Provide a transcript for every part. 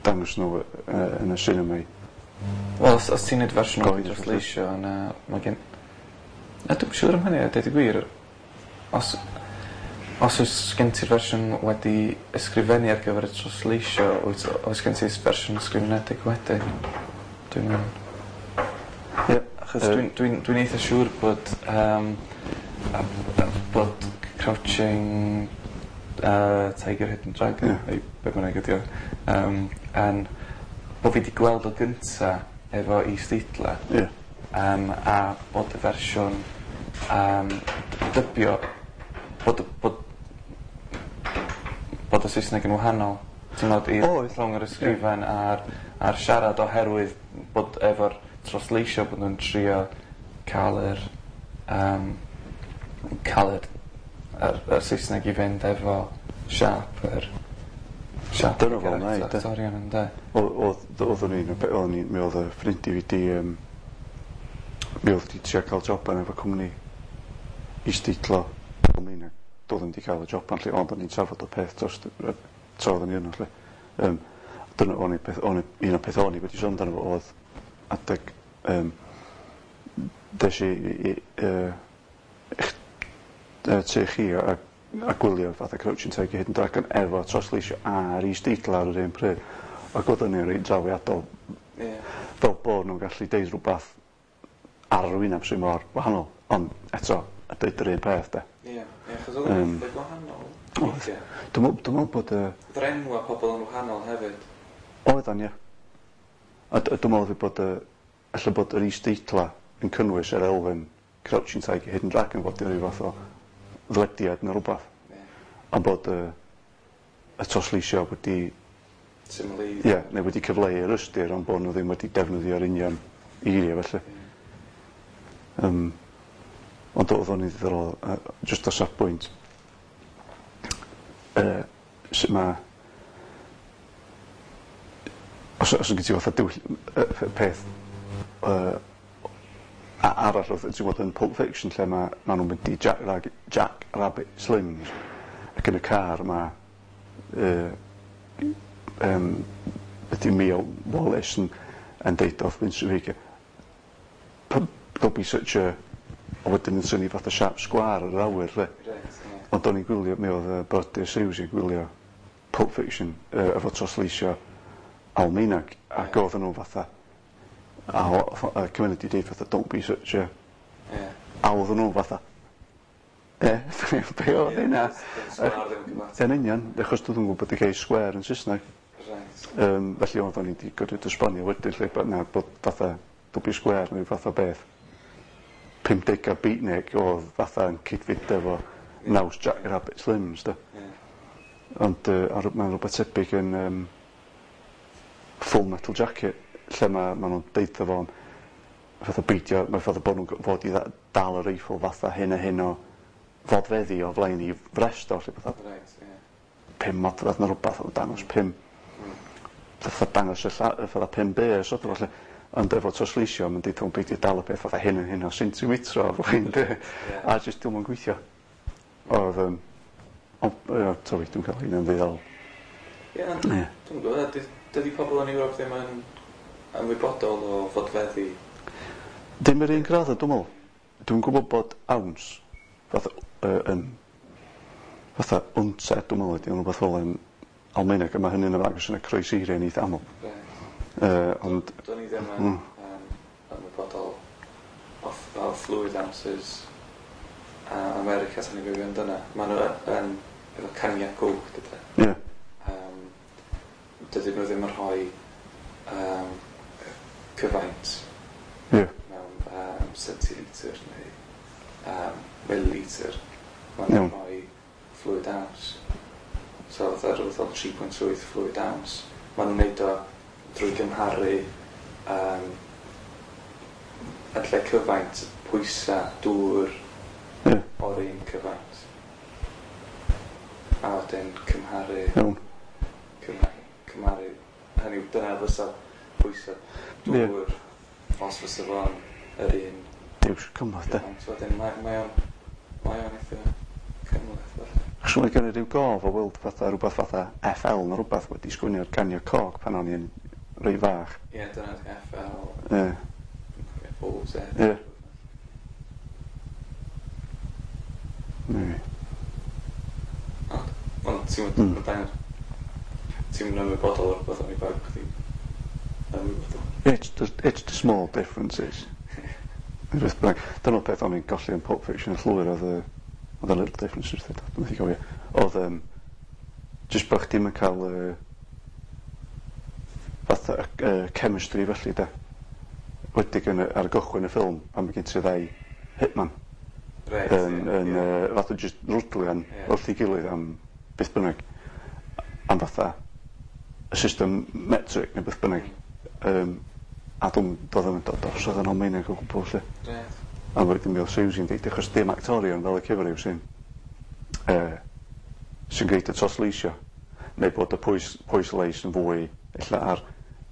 dangos nhw yn y cinema i Wel, os ti'n neud fersiwn o Gyhoeddus, felly. trosleisio yna mae gen... Na, dwi'm siŵr am hynny a deud y gwir. Os oes gen ti'r fersiwn wedi ysgrifennu ar gyfer y trosleisio, oes gen ti fersiwn ysgrifenedig wedyn? Dwi'n mynd. Ie. Achos dwi'n eitha siŵr bod bod Crouching Tiger Hidden Dragon, neu be bynnag ydi o, yn bod fi 'di gweld o gynta efo isdeitla. A bod y fersiwn dybio bod y Saesneg yn wahanol. Ti'n meddwl i rhwng yr ysgrifen a'r siarad oherwydd bod efo'r trosleisio bod nhw'n trio cael yr Saesneg i fynd efo siâp yr siâp Dyna fo'n wneud, de. Actorion, ynde? Oeddwn i'n, oeddwn i, mi oedd y ffrind i fi di, mi oedd di trio cael joban efo cwmni isdeitlo Almaeneg. Doedd ddim di cael y joban lle, ond o'n i'n trafod y peth dros tra oeddwn i yno lle. Dyna o'n i peth, o'n i, un o'r peth o'n i wedi sôn amdano fo oedd adeg des i i tŷ chi a gwylio fatha Crouching Tiger Hidden Dragon efo trosleisio a'r isdeitla ar yr un pryd. Ac oedd hynny'n reit drawiadol. Fel bod nhw'n gallu deud rhywbeth ar yr wyneb sy'n mor wahanol, ond eto, a deud yr un peth, de. Ie, achos oedd o'n eitha gwahanol Oedd. weithiau. Dwi'n meddwl bod y Oedd yr enwa pobl yn wahanol hefyd. Oeddan, ie. A dwi'n meddwl bod y... Ella bod yr isdeitla yn cynnwys yr elfen Crouching Tiger Hidden Dragon fod i ryw fath o ddwediad neu rhywbeth. Ond bod y trosleisio wedi Symleiddio. Ie, neu wedi cyfleu yr ystyr, ond bod nhw ddim wedi defnyddio'r union eiriau felly. Ond oedd o'n ddiddorol, jyst o safbwynt sut ma', os gen ti fatha peth arall oedd, ti'n gwbod, yn Pulp Fiction lle ma' nhw'n mynd i Jack Rabbit Slims ac yn y car ma' ydy Mia Wallace yn deud wrth Vincent Vega, "Don't be such a", a wedyn yn synnu fatha sharp square ar yr awyr lle. Reit, ie. Ond o'n i'n gwylio, mi oedd brodyr Siws yn gwylio Pulp Fiction efo trosleisio Almaeneg ac oedden nhw fatha a cymryd i deud fatha, "Don't be such a" A oedden nhw fatha, "E, be oedd hynna?" Sgwâr ddim yn cyfateb. Yn union, achos dwi ddim yn gwybod bod y gair square yn Saesneg. Felly oedden ni wedi gorfod esbonio wedyn lle bod na bod fatha don't be square neu fatha beth 50au beatnik oedd fatha yn cyd-fynd efo naws Jack Rabbit Slims, de. Ond mae'n rhywbeth tebyg yn Full Metal Jacket lle ma nhw'n deud fo fatha beidio, mae fatha bod nhw'n fod i dal y reiffl fatha hyn a hyn o fodfeddi o flaen i frest o lle fatha 5 modfedd neu rhywbeth oedd dangos pum fatha dangos y fatha 5 bys oedd o felly. Ond efo trosleisio mae'n deud beidio dal y peth fatha hyn a hyn o centimetr o flaen dy a jyst dwi'm yn gweithio. Oedd ond ie, sorry, dwi'n cael hynna'n ddiddorol. Ie, ond dwi'n gwybod, dydy pobl yn Ewrop ddim yn ymwybodol o fodfeddi? Dim yr un graddau, dwi'n meddwl. Dwi'n gwybod bod ounce fatha yn fatha unte, dwi'n meddwl, ydy rhywbeth fel yn Almaeneg, a mae hynny'n ymddangos yn y croeseiriau'n eitha aml. Ond Do'n i ddim yn ymwybodol o fluid ounces a America sy'n ei fyw yn dyna. Maen nhw yn efo caniau Coke, dydy. Dydyn nhw ddim yn rhoi cyfaint mewn centilitr neu millilitr. Maen nhw'n rhoi fluid ounce. So fatha rhywbeth fel 3.8 fluid ounce. Maen nhw'n neud o drwy gymharu yn lle cyfaint pwysa dŵr o'r un cyfaint. A wedyn cymharu cymharu, hynny yw, dyna fysa pwysa dŵr os fysa fo'n yr un Duw, cymhleth, de. cyfaint. Wedyn mae o'n eitha cymhleth felly. Achos mae gen i ryw gof o weld fatha rhywbeth fatha FL neu rhywbeth wedi sgwennu ar gania coch pan o'n i'n rei fach. Ie, dyna FL. Ie. OZ. Ie. Maybe. Ond ti'n mynd ti'n mynd ymwybodol o'r rhywbeth o'n i bag chdi ymwybodol. It's the small differences. Beth bynnag. Dyna'r peth o'n i'n golli yn Pulp Fiction yn llwyr oedd y little differences, dwi'n methu cofio. Oedd jyst bod chdi'm yn cael fatha chemistry felly de. Wedig yn ar gychwyn y ffilm pan mae gen ti ddau hitman. Reit, yn fatha jyst rwdlian wrth ei gilydd am beth bynnag. Am fatha y system metric neu beth bynnag. A dwi'n dod yn dod drosodd yn Almaeneg o gwbl 'lly. Reit. A wedyn mi oedd Susie'n deud achos dim actorion fel y cyfryw sy'n sy'n gwneud y trosleisio. Neu bod y pwyslais yn fwy ella ar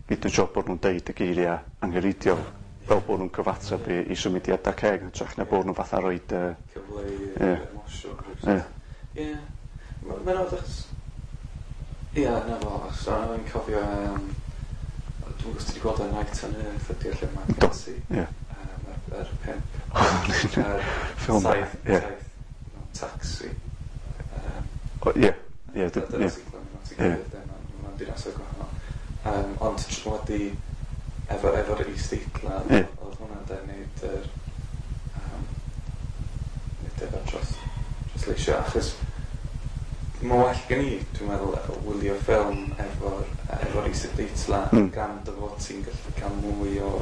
gyd y job bod nhw'n deud y geiriau angenrheidiol fel bod nhw'n cyfateb i symudiadau ceg yn hytrach na bod nhw'n fatha roid cyfleu emosiwn. Ie. Ie. Mae'n od achos ie, na fo, achos o'n i'n cofio dwi'n gwybod os ti wedi gweld y Night on Earth ydy'r lle mae Do, Cassie. ie. Yr pimp. Ffilm Saith, ie. saith mewn taxi. O, ie. Ie, Dyna ie. sy'n clymu at ei Ie. gilydd, de, mewn dinasoedd gwahanol. Ond wedi efo'r is-deitla, Ie. oedd hwnna'n de neud yr neud efo'r trosleisio, achos mae'n well gen i, dwi'n meddwl, wylio ffilm efo'r is-deitla gan dy fod ti'n gallu cael mwy o,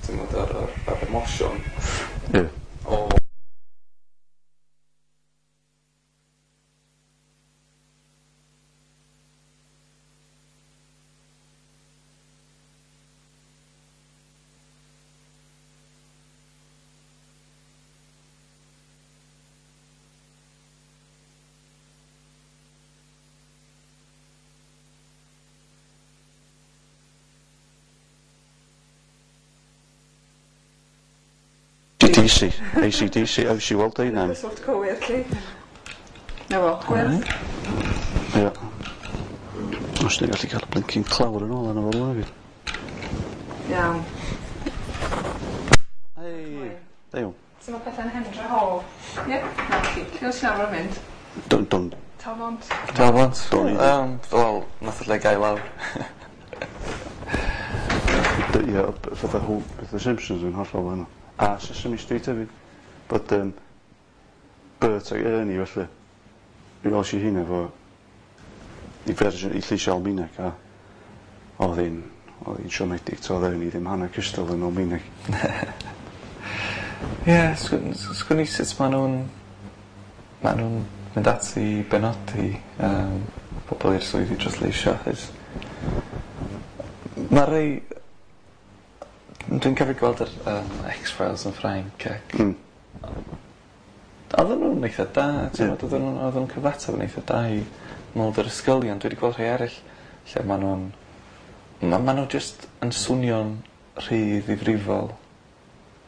ti'n gwbod, o'r emosiwn. Ie. O DC, AC/DC, o, si weld ein Cyswllt cywir, lly. Na fo, gwyrdd. Ie. Os ni'n gallu cael y blincin clawr yn ôl arno fo rŵan hefyd. Iawn. Hei. Da iawn. So mae pethau'n Hendre Hall. Ie, na chi. Lle oes ti'n arfer mynd? Don, don. Talbont. Talbont. Don i. Wel, nath y lle gael lawr. Ie, fatha fatha Simpsons yn hollol wahanol. A Sesame Street hefyd. Bod Bert ac Ernie felly. Mi wels i hynna efo i fersiwn i lleisio Almaeneg a oedd hi'n siomedig, to oedd Ernie ddim hanner cystal yn Almaeneg. Ie, sgwn i sut ma' nhw'n mynd ati i benodi pobl i'r swyddi trosleisio, achos ma' rei dwi'n cofio gweld yr X-Files yn Ffrainc ac oedden nhw'n eitha da, ti'n gwbod, oedden nhw'n cyfateb yn eitha da i Mulder a Scully, ond dwi wedi gweld rhai eraill lle ma' nhw'n ma' nhw jyst yn swnio'n rhy ddifrifol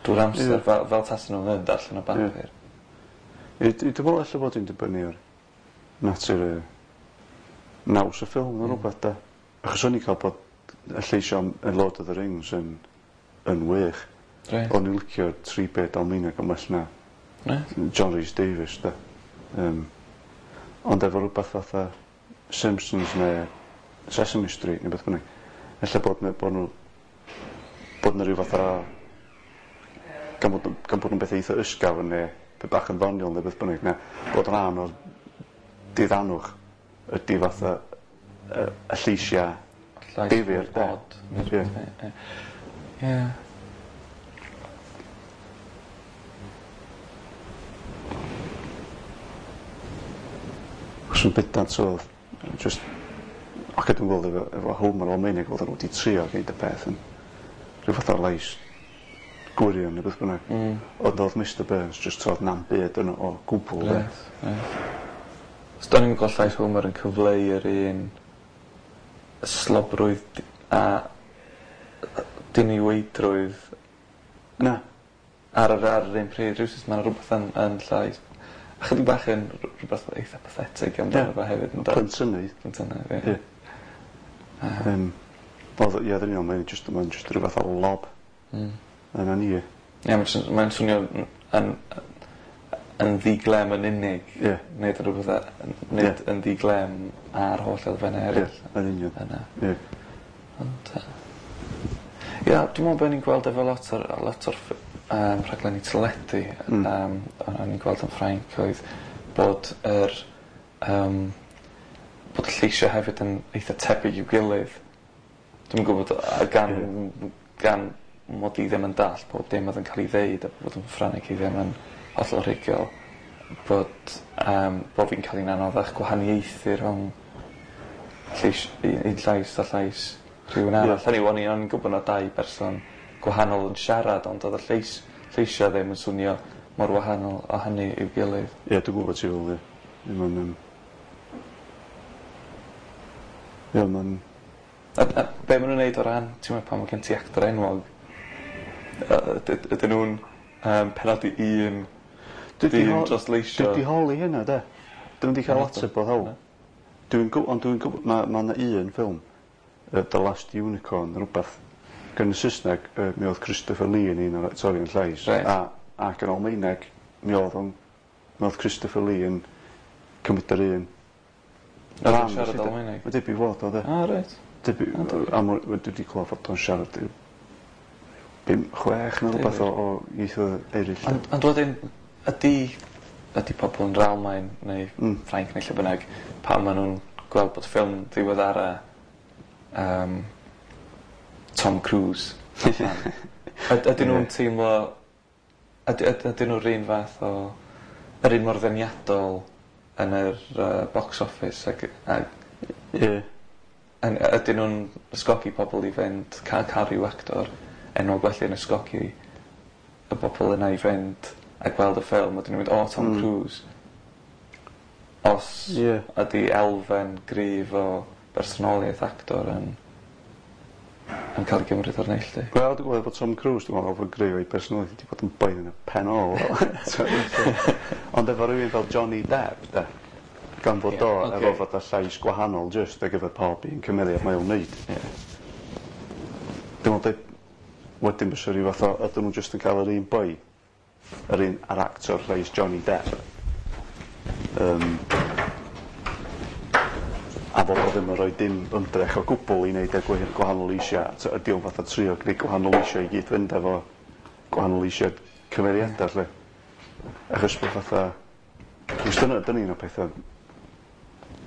drwy'r amser, fel tasen nhw'n mynd allan o bapur. Ie. Dwi'n meddwl ella bod hi'n dibynnu ar natur y naws y ffilm neu rhywbeth de. Achos o'n i'n cael bod y lleisio am y Lord of the Rings yn wych. Reit. O'n i'n licio tri beth Almaeneg yn well na Reit. John Rhys Davies de. Ond efo rhywbeth fatha Simpsons neu Sesame Street neu beth bynnag, ella bod nhw bod 'na rhyw fath o gan bod nhw'n beth eitha ysgafn neu pe bach yn ddoniol neu beth bynnag, neu bod rhan o'r diddanwch ydy fatha y lleisiau Llais difyr, de. od, neu rhywbeth, Ie. ie. Ie. Achos yn bendant oedd just ac dwi'n gweld efo Homer Almaeneg oedd nhw wedi trio gwneud y peth yn rhyw fath o lais gwirion neu beth bynnag. Ond oedd Mr Burns just trodd na'm byd yno o gwbl, de. Reit, reit. So do'n i'm yn gweld llais Homer yn cyfleu yr un slobrwydd a diniweidrwydd Na. Ar yr un pryd, rywsut ma' 'na rwbeth yn llais Chydig bach yn rhywbeth eitha pathetic amdano fo hefyd. Plentynnaidd. Plentynnaidd, ie. Wel, ie, dyn ni'n mae'n just, mae'n just rhywbeth o lob. Yna ni. Ie, mae'n swnio yn ddiglem yn unig. Ie. Nid rhywbeth, nid yn ddiglem ar holl elfennau eraill. Ie, yn union. Yna. Ie. Ond, ie, dwi'n meddwl bod ni'n gweld efo lot o'r rhaglenni teledu, o'n i'n gweld yn Ffrainc, oedd bod yr bod y lleisiau hefyd yn eitha tebyg i'w gilydd. Dwi'n gwybod gan mod i ddim yn dallt pob dim oedd yn cael ei ddeud a bod yn Ffrangeg i ddim yn hollol rhugl, bod fi'n cael ein anoddach gwahaniaethu rhwng un llais a llais rhywun arall. Hynny yw, o'n i'n gwybod na dau berson gwahanol yn siarad, ond oedd y lleisiau ddim yn swnio mor wahanol o hynny i'w gilydd. Ie, dwi'n gwybod ti fel, ie. Ie, mae'n... A be maen nhw'n neud o ran, ti'n meddwl pan mae gen ti actor enwog, ydyn nhw'n penodi un dyn dros leisio? Dwi 'di holi hynna, de. Dwi'm 'di cael ateb o hawl. Ond dwi'n gwybod, mae yna un ffilm, The Last Unicorn, rhywbeth. Gan y Saesneg, mi oedd Christopher Lee yn un o'r actorion llais. Ac yn Almaeneg, mi oedd Christopher Lee yn cymryd yr un. Oedd o'n siarad Almaeneg? Mae debyg fod o, de. Ah, reit. Dwi wedi clywed fod o'n siarad 5, 6 neu rhywbeth o ieithoedd eraill. Ond wedyn, ydy pobl yn yr Almaen neu Ffrainc neu lle bynnag, pan maen nhw'n gweld bod ffilm ddiweddara Tom Cruise, ydyn nhw'n teimlo, ydyn nhw'r un fath o, yr un mor ddeniadol yn yr box office ac ydyn nhw'n ysgogi pobl i fynd, cael rhyw actor enwog felly yn ysgogi y bobl yna i fynd a gweld y ffilm, ydyn nhw'n mynd, o, Tom Cruise. Os ydy elfen gryf o bersonoliaeth actor yn cael ei gymryd o'r neilltu. Wel, dwi'n gwybod bod Tom Cruise, dwi'n meddwl bod gryf o'i personoliaeth wedi bod yn boen yn y pen ôl. Ond efo rhywun fel Johnny Depp, de, gan fod o efo fod y llais gwahanol jyst ar gyfer pob un cymeriad mae o'n wneud. Dwi'n meddwl, wedyn bysa rhyw fath o, ydyn nhw jyst yn cael yr un boi, yr un ar actor llais Johnny Depp. A fod o ddim yn rhoi dim ymdrech o gwbl i wneud y gwahanol eisiau. Ydy o'n fath o trio gwneud gwahanol eisiau i gyd fynd efo gwahanol eisiau cymeriadau, lle. Achos bod fatha... Achos dyna un o'r pethau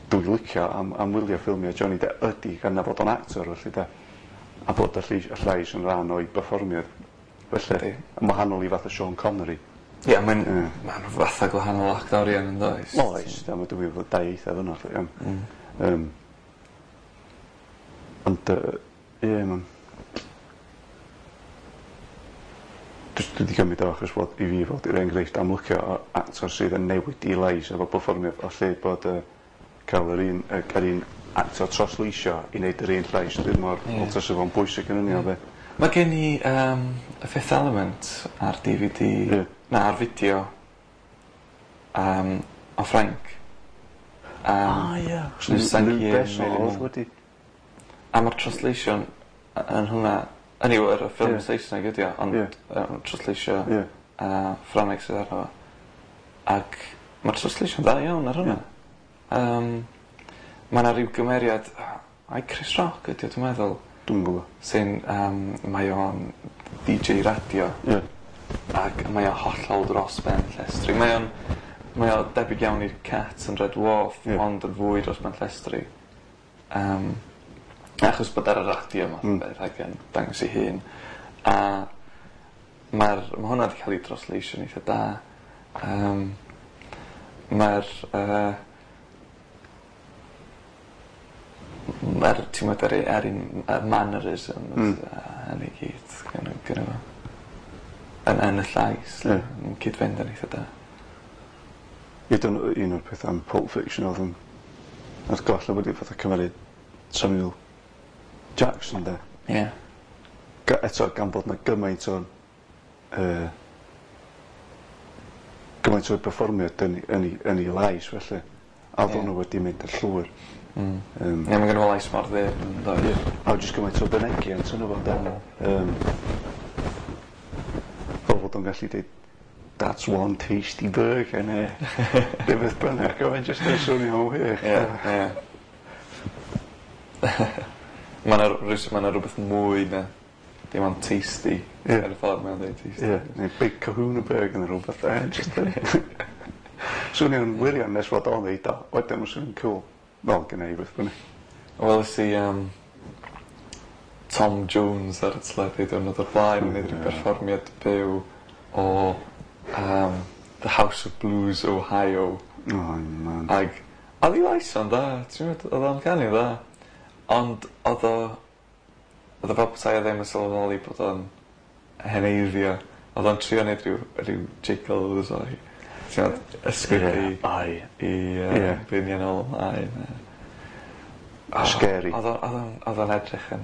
dwi'n licio am wylio ffilmiau Johnny Depp ydy gan na fod o'n actor, felly de. A bod y llais yn rhan o'i berfformiad. Felly, yn wahanol i fath o Sean Connery. Ie, mae'n fatha gwahanol actorion yn does? Oes, dwi'n meddwl bod dau eithaf yna, lle, iawn. Ond, ie, mae'n... Dwi wedi cymryd o achos bod i fi fod i'r enghraifft amlycio o actor sydd yn newid i lais efo perfformiad o lle bod cael yr un actor trosleisio i wneud yr un llais. Dwi'n mor wel tasa fo'n bwysig yn union be. Mae gen i y Fifth Element ar DVD, na, ar fideo o Ffrainc. Ah, ie. Luc Besson oedd wedi. A mae'r translation yn hwnna, hynny yw, yr ffilm Saesneg ydi o, ond trosleisio Ffrangeg sydd arno fo. Ac mae'r translation dda iawn ar hwnna. Mae yna rhyw gymeriad, ai Chris Rock ydi o, dwi'n meddwl. Dwi'n gwybod. Sy'n, mae o'n DJ radio. Ac mae o hollol dros ben llestri. Mae o debyg iawn i'r Cat yn Red Dwarf, ond yn fwy dros ben llestri. Achos bod ar y radio math o beth ac yn dangos ei hun. A mae hwnna wedi cael ei drosleisio'n eitha da. Mae'r ti'n meddwl, yr un mannerism yn ei gyd gyda fo. Yn y llais, yn cyd-fynd yn eitha da. Ie, dyna un o'r pethau am Pulp Fiction oedd yn ar goll wedi fatha cymeriad Samuel Jackson, de. Ie. Eto, gan bod na gymaint o gymaint o'i perfformiad yn ei lais felly. A oedd hwnnw wedi mynd yn llwyr. Ie, mae gen fo lais mor ddyfn, yn does? Ie. A jyst gymaint o fynegiant yno fo, de. Fel fod o'n gallu dweud, "That's one tasty burger," neu rhywbeth bynnag, oedd e'n jyst yn swnio'n wych. Ie, ie. Mae 'na rhywbeth mwy na dim ond tasty. Ar y ffordd mae'n dweud tasty. Ie, neu Big Kahuna Burger neu rhywbeth. Jyst yn swnio'n wirion nes fod o'n ddeud o. Wedyn mae'n swnio'n cool. Fel gynna i beth bynnag. Weles i Tom Jones ar y teledu diwrnod o'r blaen yn neud rhyw perfformiad byw o The House of Blues, Ohio. Oh man. Ag oedd ei lais o'n dda, ti'n gwbod, oedd o'n canu dda. Ond oedd o fel petai o ddim yn sylweddoli bod o'n heneiddio. Oedd o'n trio neud rhyw jiggles o'i, ti'n gwbod, ysgwyd i biniau nôl ymlaen. Scary. Oedd o'n edrych yn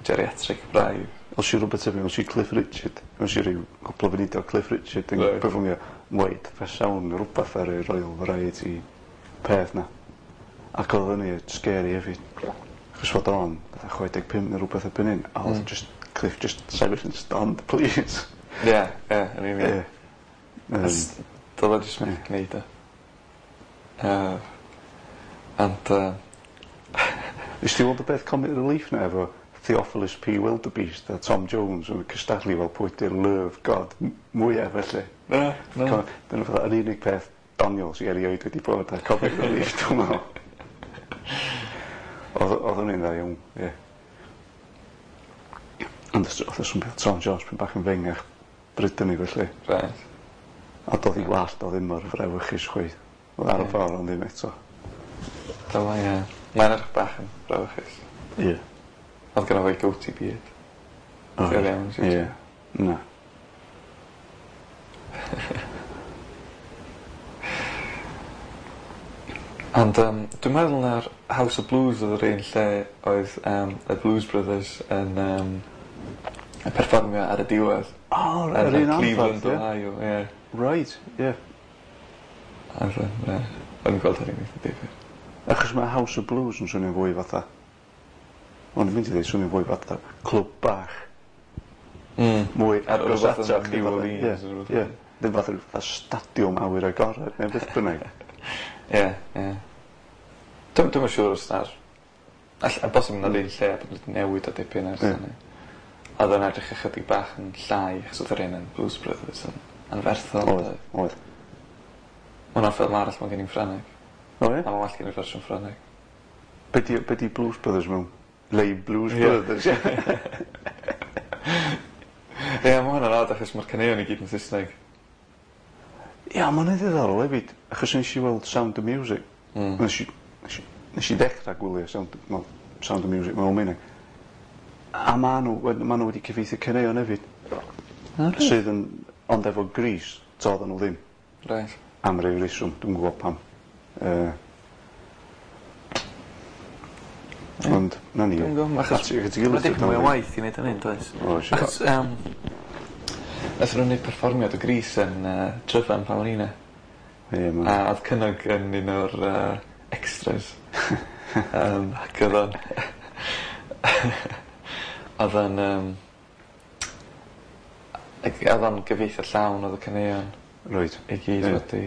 geriatric braidd. Oes i rhywbeth tebyg, oes i Cliff Richard, oes i ryw cwpl o funudau o Cliff Richard yn perfformio Wait for Sound neu rhywbeth ar y Royal Variety peth na. Ac oedd hynny scary hefyd. Achos fod o'n fatha 65 neu rhywbeth erbyn hyn, a oedd just Cliff just sefyll yn stand, please. Ie, ie, yn union. Doedd o jyst methu gwneud o. Ond Nes ti weld y beth Comic Relief na efo Theophilus P. Wildebeest a Tom Jones yn cystadlu fel pwy di'r Love God mwyaf felly? Na, na. Dyna fatha yr unig peth doniol sydd erioed wedi bod ar Comic Relief, dwi'n meddwl. Oedd hwnna'n dda iawn, ie. Ond oedd y swnio Tom Jones pyn bach yn fengach bryd hynny felly. Right. A doedd i wallt o ddim mor frawychus chwaith. Oedd ar y ffordd ond ddim eto. Dyma, ie. Mae'n edrych bach yn frawychus. Ie. Oedd gynno fo goatee beard. Oedd. Ie. Na. Ond dwi'n meddwl na'r House of Blues oedd yr un lle oedd y Blues Brothers yn perfformio ar y diwedd. O, yr un anferth, Cleveland, Ohio, ie. Right, ie. Oedd yn gweld hynny'n eitha difyr. Achos mae House of Blues yn swnio'n fwy fatha... O'n i'n mynd i ddweud swnio'n fwy fatha clwb bach. Mwy agos ato chdi New Orleans. Ie, ddim fatha rhyw fatha stadiwm awyr agored neu beth bynnag. Ie, ie. Dwi'm yn siŵr os na'r... A bosib na'r un lle a bod wedi newid o dipyn ers hynny. Oedd o'n edrych ychydig bach yn llai, achos oedd yr un yn Blues Brothers yn anferthol. Oedd, oedd. Ma' hwnna'n ffilm arall mae gen i'n Ffrangeg. O ie? A mae'n well gen i'r fersiwn Ffrangeg. Be di Blues Brothers mewn? Les Blues Brothers. Ie, mae hwnna'n od achos mae'r caneuon i gyd yn Saesneg. Ie, mae'n hwnna'n ddiddorol hefyd, achos nes i weld Sound of Music. Nes i ddechrau gwylio Sound of Music mewn Almaeneg. A ma' nhw wedi cyfieithu caneuon hefyd. Sydd yn, ond efo Grease, toedden nhw ddim. Right. Am ryw reswm, dwi'n gwybod pam. Ond, na ni. Dwi'n gwybod, achos mae dipyn mwy o waith i wneud hynny, does? Oes. Achos, nath nhw'n neud perfformiad o Grease yn Tryfan pan o'n i 'na. Ie, A oedd Cynog yn un o'r extras. Ac oedd o'n... Oedd o'n... Oedd o'n gyfieithu llawn oedd y caneuon. Reit. I gyd wedi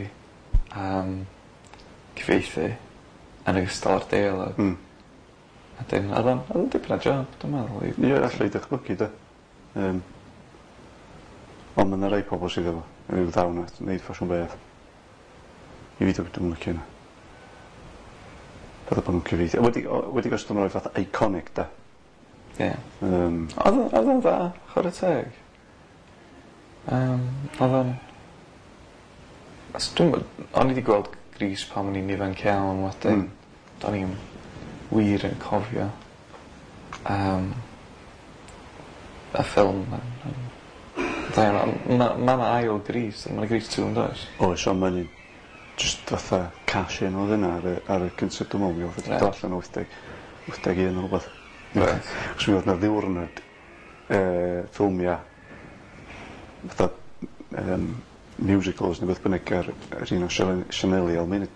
cyfieithu yn ogystal â'r deialog. A dyn, oedd o'n dipyn o job, dwi'n meddwl. Ie, allai dychmygu, de. Ond mae yna rai pobl sydd efo ryw ddawn at wneud ffasiwn beth. I fi dwi'n licio hynna. Fatha bod nhw'n cyfieithu. Wedi gostod nhw'n rhoi fatha iconic, de. Ie. Oedd o'n dda, chwarae teg. Oedd o'n... O'n i wedi gweld Grease pan o'n i'n ifanc iawn wedyn. Do'n i'n wir yn cofio y ffilm. Mae 'na ail Grease, mae 'na Grease 2 yn does? Oes, ond mae'n just fatha cash in oedd yna ar y cyntaf, dwi'n meddwl, mi oedd wedi dod allan 81 neu rhywbeth. Right. Achos mi oedd 'na ddiwrnod ffilmia fatha musicals neu beth bynnag ar un o sianeli Almaeneg.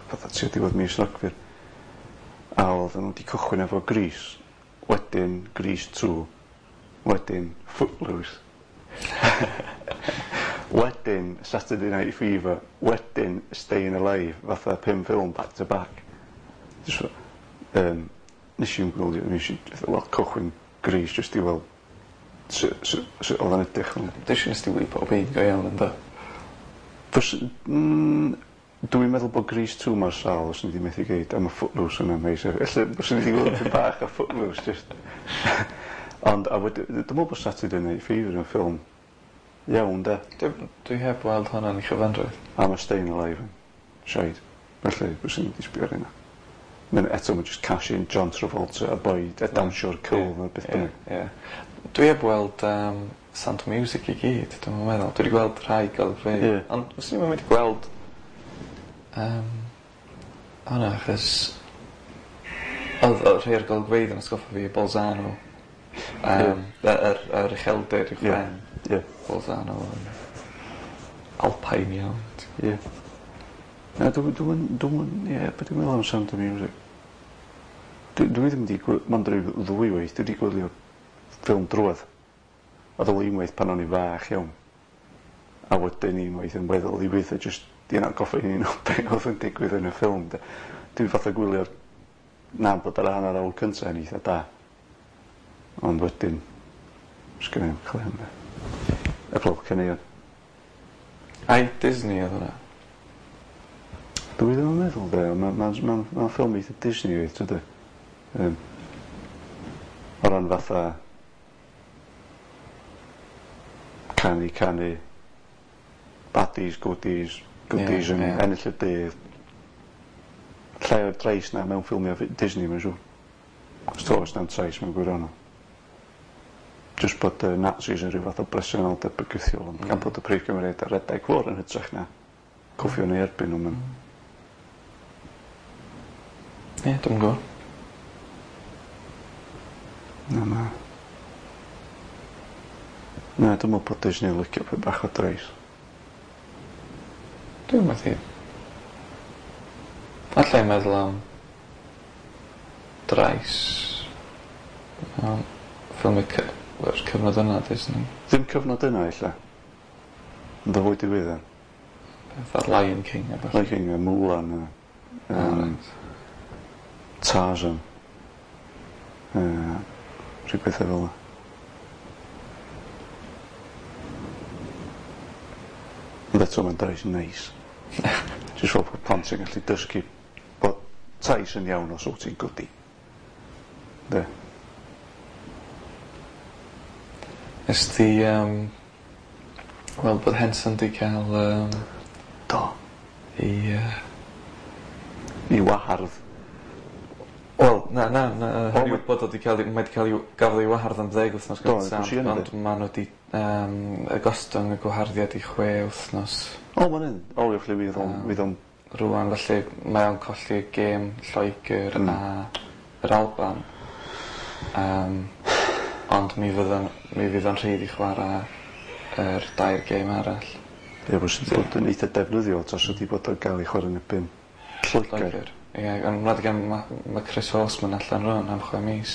Fatha tua diwedd mis Rhagfyr. A oedden nhw wedi cychwyn efo Grease, wedyn Grease 2, wedyn Footloose. Wedyn Saturday Night Fever, wedyn Staying Alive, fatha 5 ffilm back to back. Just, nes i'n gwylio, nes i wel cychwyn Grease just i weld sut oedd o'n edrych. Dwi'n siŵr nes ti wylio pob un go iawn ynddo? Dwi'n meddwl bod Grease 2 mor sâl os ni wedi methu gyd, a mae Footloose yn amazing. Ella os ni wedi gweld tipyn bach o Footloose, just. Ond, a wedi, dwi'n meddwl bod Saturday Night Fever yn ffilm iawn, de. Dwi heb weld hwnna'n ei chyfanrwydd. A mae Staying Alive yn shite. Felly, bys ni wedi sbio ar hynna. Mae'n eto, mae'n just cash in John Travolta a boi a dawnsio'r cool neu beth bynnag. Ie. Dwi heb weld Sound of Music i gyd, dwi'n meddwl. Dwi wedi gweld rhai golygfeydd. Ond fyswn i'm yn mynd i gweld hwnna, achos oedd rhai o'r golygfeydd yn atgoffa fi o Bolzano. Yr ucheldir uwch ben. Bolzano yn Alpine iawn. Ie. Na, dwi'n, ie, beth dwi'n meddwl am Sound of Music? Dwi ddim wedi mond ryw ddwy waith, dwi wedi gwylio ffilm drwodd. Oedd o unwaith pan o'n i fach iawn. A wedyn unwaith yn weddol ddiweddar, just di yna goffa i o be oedd yn digwydd yn y ffilm. Dwi'n fatha gwylio'r na bod ar hanner awr cyntaf yn eitha da. Ond wedyn, sgynna i'm clem de. Heblaw caneuon. Ai Disney oedd hwnna? Dwi ddim yn meddwl de, ma ffilm eitha Disney oedd, tydi? O ran fatha canu, baddies, goodies, goodies yn ennill y dydd. Llai o'r drais na mewn ffilmiau Disney, mae'n siŵr. Os oes na'm trais mewn gwirionedd. Just bod y Nazis yn rhyw fath o bresenoldeb bygythiol, ond gan bod y prif gymeriad ar redeg fôr yn hytrach na cwffio neu erbyn nhw. Ie, dwi'm yn gwybod. Na, na. Na, dwi'n meddwl bod Disney yn licio peth bach o drais. Dwi'n methu. Alla i meddwl am drais. Ffilm y cyfnod yna, Disney. Ddim cyfnod yna, ella. Ond o fwy diweddar. Fatha Lion King a ballu. Lion King a Mulan a, Tarzan. Rhyw bethau fel yna. Ond eto mae'n drais neis. Jyst fel bod plant yn gallu dysgu bod tais yn iawn os wyt ti'n goody. De. Nes ti weld bod Henson di cael Do. I I wahardd. Wel, na, na, na, hynny yw bod o 'di cael 'i, mae 'di cael 'i, gafodd ei wahardd am 10 wythnos Do, gyntaf, gwrs i hynny. ond ma' nhw 'di y gostwng y gwaharddiad i 6 wythnos. O, ma'n un. O, felly fydd o'n fydd o'n Rŵan, felly mae o'n colli gêm Lloegr a yr Alban. Ond mi fydd o'n rhydd i chwarae yr 2 gêm arall. Ie, fysa bod yn eitha defnyddiol tas wedi bod o'n gael ei chwarae yn erbyn Lloegr. Lloegr. Ie, ond wlad gan ma Chris Horsman allan rŵan am 6 mis.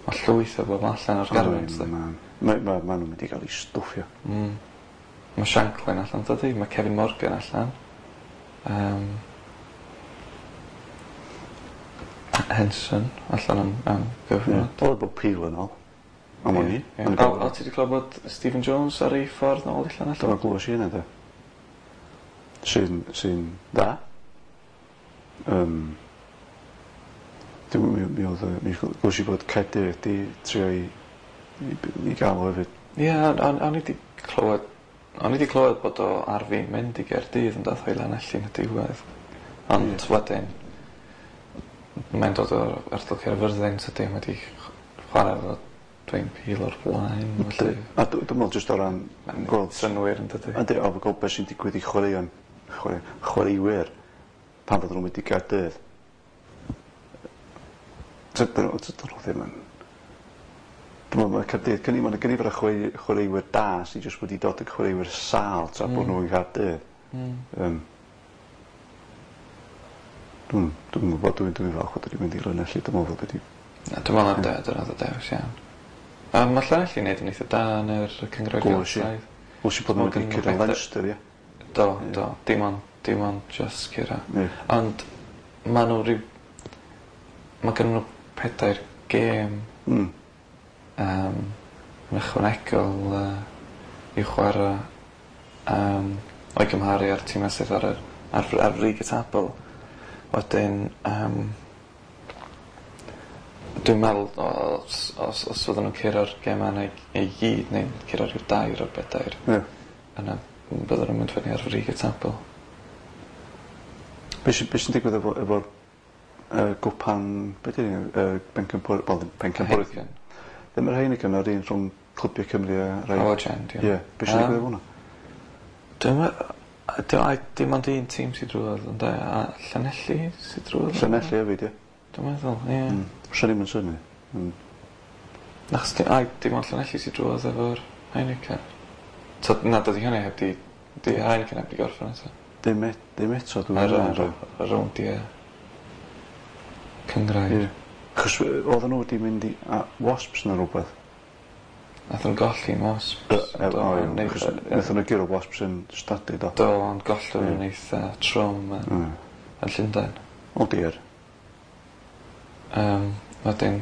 Mae llwyth o bobl allan o'r garfan, tydi? Ma nhw'n mynd i gael ei stwffio. Mae Shanklin allan, dydi? Mae Kevin Morgan allan. Henson allan am gyfnod. Ie, oedd bod Peel yn ôl. Am wn i. O, ti wedi clywed bod Stephen Jones ar ei ffordd nôl i Llanelli? Do, glywes i hynna, de. Sy'n dda. Mi oedd, mi glywes i bod Caerdydd wedi trio i gael o hefyd. Ie, o'n i wedi clywed, o'n i wedi clywed bod o ar fin mynd i Gaerdydd yn dath o'i Lanelli yn y diwedd. Ond wedyn, mae'n dod o'r ardal Caerfyrddin, tydi, mae wedi chwarae efo Dwayne Peel o'r blaen, felly. A dwi'n meddwl jyst o ran Mae'n gweld synnwyr yn dydi. Yndi, o, gweld beth sy'n digwydd i chwaraewyr pan fydden nhw'n mynd i Gaerdydd. Dydyn nhw ddim yn... Dwi'n meddwl mae Caerdydd, cynnig, mae'n gynifer o chwaraewyr da sydd jyst wedi dod yn chwaraewyr sâl tra bod nhw yn Caerdydd. Dwi'n gwybod, dwi'n falch bod wedi mynd i Lanelli, dwi'n meddwl bod wedi... Na, dwi'n meddwl na dyna oedd y dewis iawn. Mae Llanelli wneud yn eitha da yn yr Cynghrair Geltaidd. Gwrs i bod nhw wedi curo Leinster, ie. Do, do. Dim ond just curo. Ond ma' nhw ryw... Mae gen nhw 4 gêm yn ychwanegol i'w chwarae o'i gymharu â'r tîmau sydd ar ar frig y tabl. Wedyn dwi'n meddwl os fydden nhw'n curo'r gemau yna i gyd neu'n curo rhyw 2 o'r 4, yna bydden nhw'n mynd fyny ar frig y tabl. Be sy'n digwydd efo'r gwpan, be di Pencampwriaeth? Ddim yr Heineken, yr un rhwng Clybiau Cymru a rai... Powergen, ie. Ie, be sy'n digwydd efo hwnna? Dim ond un tîm sydd drwodd, ond a Llanelli sydd drwodd? Llanelli hefyd, ie. Dwi'n meddwl, ie. Swn i'm yn synnu. Achos dim ond Llanelli sydd drwodd efo'r Heineken. Na, dydy hynny heb di... Di Heineken heb di gorffen eto. Dim eto, dwi'n meddwl. Ar rowndiau cynghrair. Ie. Achos oedden nhw wedi mynd i Wasps neu rhywbeth. Nathon nhw golli'n Wasps. Achos nathon nhw guro Wasps yn stadi, do. Do, ond gollon nhw'n eitha trwm yn Llundain. O diar. Wedyn,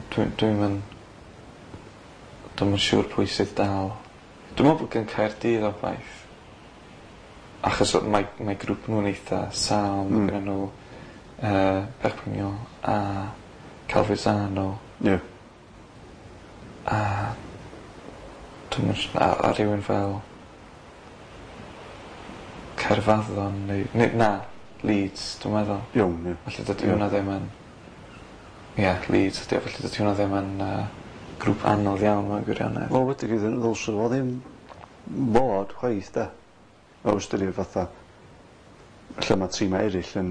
dwi'n siŵr pwy sydd dal. Dwi'n meddwl bod gen Caerdydd obaith. Achos mae grŵp nhw'n eitha sâl, mae gen nhw Perpignan a Calvisano. Ie. A dwi'n a rhywun fel Caerfaddon neu na, Leeds, dwi'n meddwl. Iawn, ie. Felly dydy hwnna ddim yn... Ie, Leeds ydy o, felly dydy hwnna ddim yn grŵp anodd iawn mewn gwirionedd. Wel, wedi gyda ddylse fo ddim bod chwaith, de. O ystyried fatha lle mae tîmau eraill yn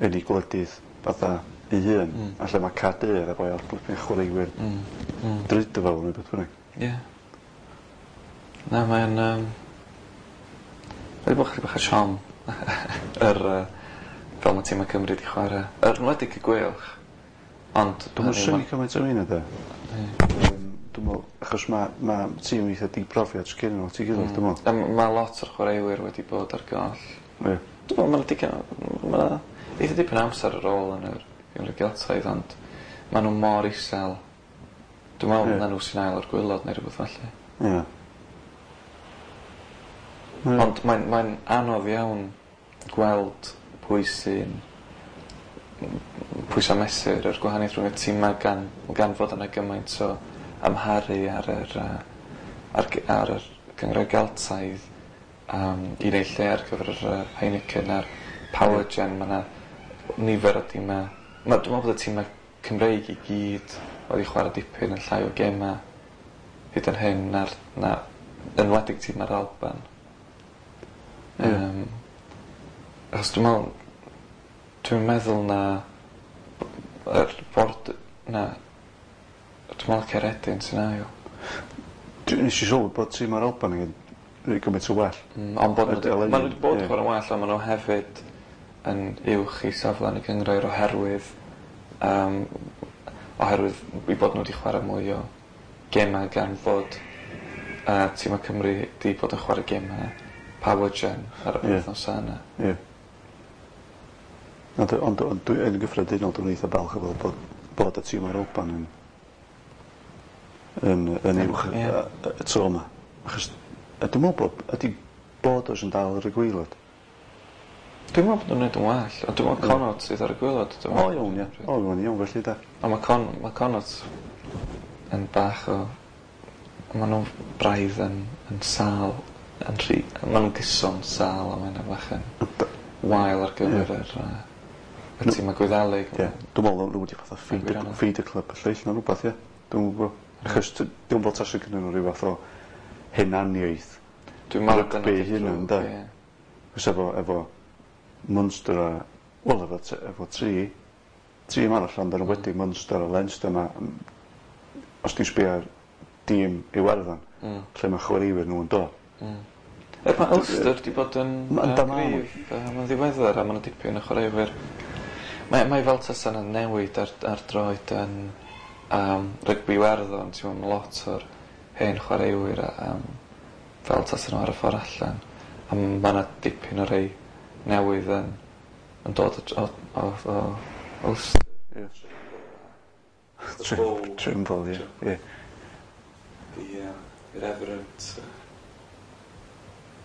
eu gwledydd fatha ei hun, a lle mae Caerdydd efo o'r blipyn chwaraewyr drud fel neu beth bynnag. Ie. Na, mae'n... Wedi bod chydig bach o siom fel mae tîmau Cymru wedi chwarae. Yr enwedig y Gweilch. Ond... Dwi'n synnu cymaint am hynna, de. Dwi'n meddwl, achos mae tîm eitha dibrofiad sgyn nhw, ti'n gilydd, dwi'n meddwl. Mae lot o'r chwaraewyr wedi bod ar goll. Ie. Dwi'n meddwl, mae'n eitha dipyn amser ar ôl yn yr Gymru Geltaidd, ond maen nhw mor isel. Dwi'n meddwl na nhw sy'n ail o'r gwaelod neu rhywbeth felly. Ie. Ond mae'n anodd iawn gweld pwy sy'n pwysa mesur yr gwahaniaeth rhwng y tîmau gan fod yna gymaint o amharu ar yr ar yr Cynghrair Geltaidd i wneud lle ar gyfer yr Heineken a'r Powergen. Mae yna nifer o tîmau. Dwi'n meddwl bod y tîmau Cymreig i gyd wedi chwarae dipyn yn llai o gemau hyd yn hyn na enwedig tîm ar Alban. Achos dwi'n meddwl na yr bord na dwi'n meddwl Caeredin sy'n ail. Nes i sylwi bod tîm ar Alban yn gymaint o well. Ond bod nhw wedi bod yn chwarae'n well, ond maen nhw hefyd yn uwch i safle yn y cynghrair oherwydd i bod nhw wedi chwarae mwy o gemau gan fod tîmau Cymru wedi bod yn chwarae gemau Powergen ar y wythnos yna. Ie. Ond yn gyffredinol dwi'n eitha balch o fel bod y tîm ar Alban yn uwch y tro yma. Achos dwi'n meddwl bod ydy Borders yn dal ar y gwaelod. Dwi'n meddwl bod nhw'n neud yn well, ond dwi'n meddwl Connacht sydd ar y gwaelod. O iawn, ie. O iawn, felly da. Ond mae Connacht yn bach o... Maen nhw'n braidd yn sâl, yn rhy... Maen nhw'n gyson sâl a mae'n bach yn wael ar gyfer yr tîmau Gwyddelig. Ie, dwi'n meddwl nhw wedi fatha feeder club y lleill neu rhywbeth, ie. Dwi'n gwybod. Achos dwi'n meddwl tasau gyda nhw rhyw fath o hunaniaeth. Dwi'n meddwl rygbi hunan, de. Achos efo Munster a... Wel, efo tri tîm arall, ond yn enwedig Munster a Leinster ma, os ti'n sbio ar dîm Iwerddon, lle mae chwaraewyr nhw'n dod. Er mae Ulster 'di bod yn gryf yn ddiweddar a ma' 'na dipyn o chwaraewyr. Mae fel tasa 'na newid ar droed yn rygbi Iwerddon, ti'n gwbod, ma' lot o'r hen chwaraewyr fel tasa nhw ar y ffordd allan. A ma' 'na dipyn o rei newydd yn dod o Ulster. Ie. Trimble, ie. Ie. The irreverent.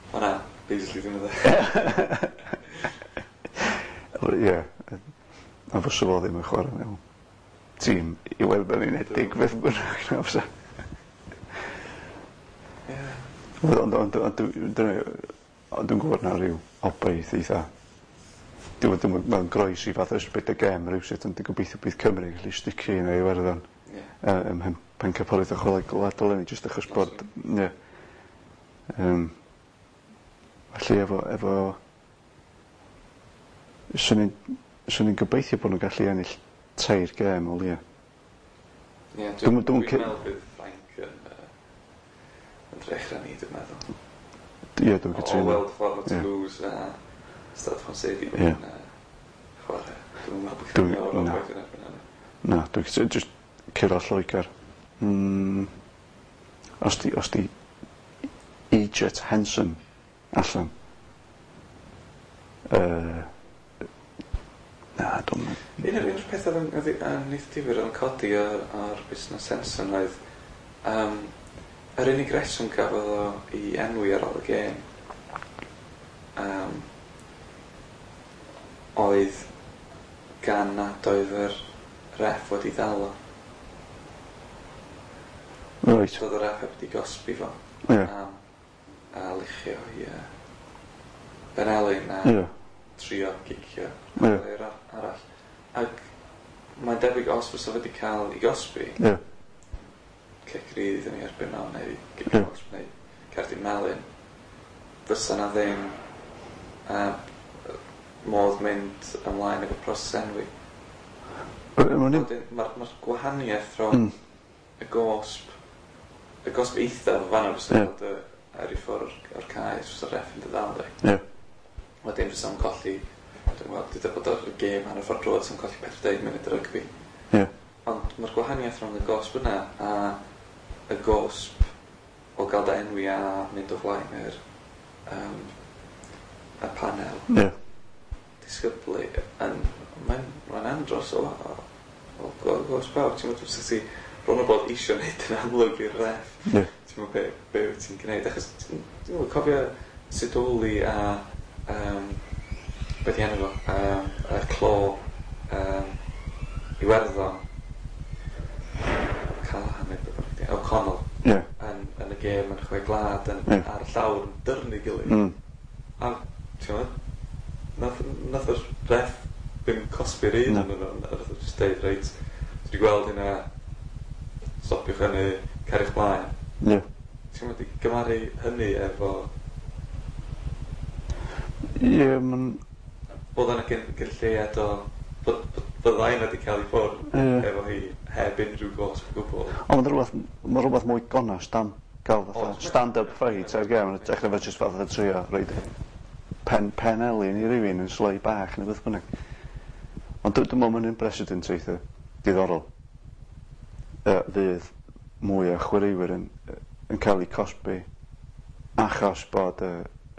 O na, basically ddim yn dde. Ie. A fysa fo ddim yn chwarae mewn tîm Iwerddon Unedig beth bynnag na fysa. Ie. Ond dwi'n gwybod na rhyw obaith eitha. Dwi'n mae'n groes i fath o ysbryd y gêm rywsut, ond dwi'n gobeithio bydd Cymru yn gallu sticio un o Iwerddon. Ie. Ym Mhencampwriaeth y Chwarae Gwladol eleni jyst achos bod ie. Felly efo swn i'n gobeithio bod nhw'n gallu ennill 3 gêm o leia. Ie, dwi'n meddwl bydd Ffrainc yn drech na ni, dwi'n meddwl. Ie, dwi'n cytuno. O weld ffordd mae Toulouse a Stade Français di bod yn chwarae. Dwi'n meddwl bod chi'n meddwl o'r gwaith yn erbyn hynny. Na, dwi'n cytuno. Just curo Lloegr. Os di Egypt Henson allan. Na, dwi'n meddwl. Un o'r pethau oedd yn eitha difyr oedd yn codi o'r busnes Henson oedd yr unig reswm gafodd o i enwi ar ôl y gêm oedd gan nad oedd yr ref wedi ddal o. Right. Doedd y ref heb wedi gosbi fo. Ie. A luchio i Benelin a trio gicio chwaraewr arall. Ac mae'n debyg os fysa wedi cael ei gosbi, cic rydd yn ei erbyn o, neu gic gosb, neu cerdyn melyn, fysa na ddim modd mynd ymlaen efo proses enwi. Mae'r gwahaniaeth rhwng y gosb eithaf o fan'na fysa bod ar ei ffordd o'r cae, fysa'r ref yn dy ddal di. Wedyn fysa'n colli, dwi'n gwybod, dwi bod o'r gêm hanner ffordd drwodd, fysa'n colli 40 munud o rygbi. Ond mae'r gwahaniaeth rhwng y gosb yna a y gosb o gael dy enwi a mynd o flaen yr y panel disgyblu yn mae'n andros o gosb fawr. Ti'n meddwl fysa ti bron o bod isio neud yn amlwg i'r ref. Ti'n meddwl be wyt ti'n gwneud, achos ti'n meddwl cofio Sidoli a be di enw fo, y clo Iwerddon, Callaghan neu be bynnag di, O'Connell, yn y gêm yn Chwe Gwlad, ar y llawr yn dyrnu gilydd. A ti'n meddwl, nath yr ref ddim cosbi'r un yn nhw, nath o jyst deud, reit, dwi wedi gweld hynna, stopiwch hynny, cariwch mlaen. Ti'n meddwl, di gymaru hynny efo... Ie, ma'n... Bod yna gyn lleiad o... Byddai yna wedi cael ei ffwrdd efo hi heb unrhyw gosb o gwbl. Ond mae rhywbeth mwy gonest am gael fatha stand-up fight ar gêm, yn hytrach na fo jyst fatha trio roid pen elin i rywun yn slei bach neu beth bynnag. Ond dwi'n meddwl mae'n precedent eitha diddorol. Fydd mwy o chwaraewyr yn cael eu cosbi achos bod y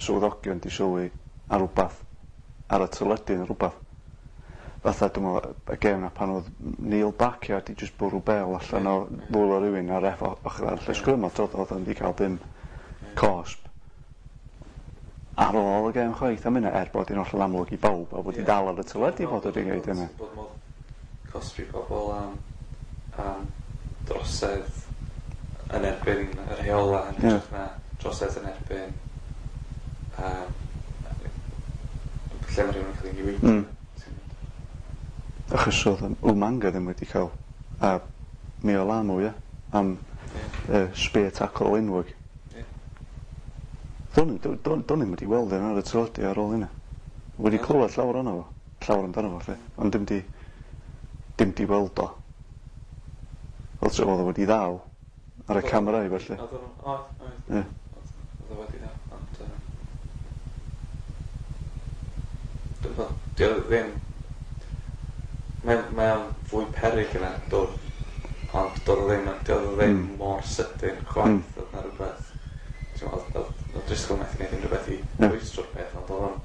swyddogion di sylwi ar rwbath ar y teledu neu rwbath. Fatha dwi'n meddwl y gêm na pan oedd Neil Backyard di jyst bwrw bel allan o ddwylo rywun ar ref ochr arall y sgrym, a oedd o'n di cael dim cosb ar ôl y gêm chwaith am hynna, er bod hi'n hollol amlwg i bawb a bod hi dal ar y teledu bod wedi gwneud hynna. Bod modd cosbi pobl am drosedd yn erbyn y rheola yn hytrach na drosedd yn erbyn lle mae rhywun yn cael ei niweidio. Achos oedd Umanga ddim wedi cael a Mealamu, ie, am spear tackle enwog. Do'n i'm wedi weld yn ar y teledu ar ôl hynna. Wedi clywed llawer ohono fo, llawer amdano fo, lle, ond dim di weld o. Fel tra oedd o wedi ddal Ar y camera i felly. Oedd o'n, oedd, oedd. Ie. Oedd o wedi da, ond dwi'n gwbod, 'di o ddim, mae o'n fwy peryg yna dwr, ond doedd o ddim, 'di o ddim mor sydyn chwaith, oedd 'na rywbeth, ti'n meddwl, oedd Driscoll methu gwneud unrhyw beth i rwystro'r peth, ond oedd o'n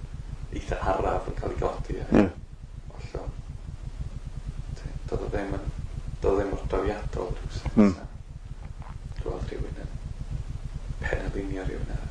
eitha araf yn cael ei godi a ollwng. Doedd o ddim yn, doedd o ddim mor drawiadol rywsut. Gweld rhywun yn penlinio rhywun arall.